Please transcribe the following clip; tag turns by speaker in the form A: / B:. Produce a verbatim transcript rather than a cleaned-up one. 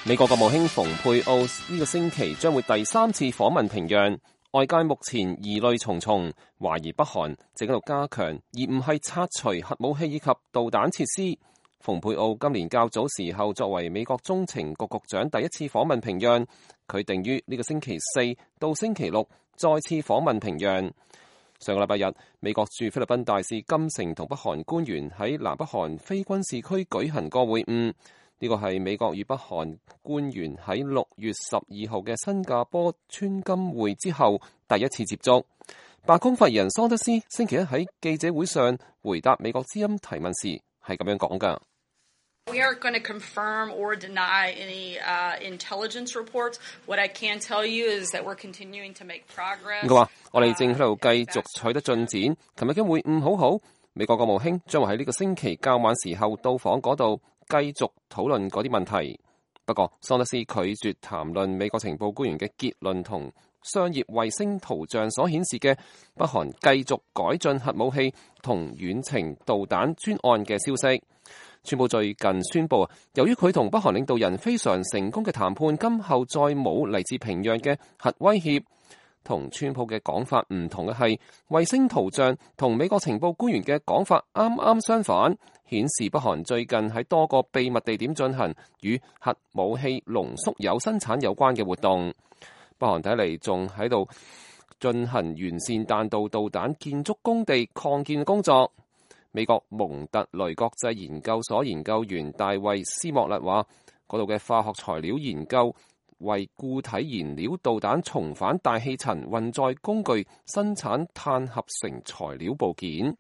A: 美國國務卿蓬佩奧呢個星期將會第三次訪問平壤，外界目前疑慮重重，懷疑北韓正喺度加強，而唔係拆除核武器以及導彈設施。蓬佩奧今年較早時候作為美國中情局局長第一次訪問平壤，佢定於呢個星期四到星期六再次訪問平壤。上個禮拜日，美國駐菲律賓大使金城同北韓官員喺南北韓非軍事區舉行過會晤。呢個係美國與北韓官員喺六月十二號嘅新加坡川金會之後第一次接觸。白宮發言人桑德斯星期一喺記者會上回答美國之音提問時係咁樣講㗎。
B: We aren't going to confirm or deny any uh, intelligence reports. What I can tell you is that we're continuing to make progress.
A: 佢話：我哋正喺度繼續取得進展。琴日嘅會晤好好，美國國務卿將會喺呢個星期較晚時候到訪嗰度，繼續討論嗰啲問題。不過，桑德斯拒絕談論美國情報官員嘅結論同商業衛星圖像所顯示嘅北韓繼續改進核武器同遠程導彈專案嘅消息。川普最近宣布，由於佢同北韓領導人非常成功嘅談判，今後再冇嚟自平壤嘅核威脅。同川普嘅講法唔同嘅係，衛星圖像同美國情報官員嘅講法啱啱相反，顯示北韓最近喺多個秘密地點進行與核武器濃縮鈾生產有關嘅活動。北韓睇嚟仲喺度進行完善彈道導彈建築工地擴建工作。美國蒙特雷國際研究所研究員大衛斯莫勒話，嗰度嘅化學材料研究為固體燃料導彈重返大氣層運載工具生產碳合成材料部件。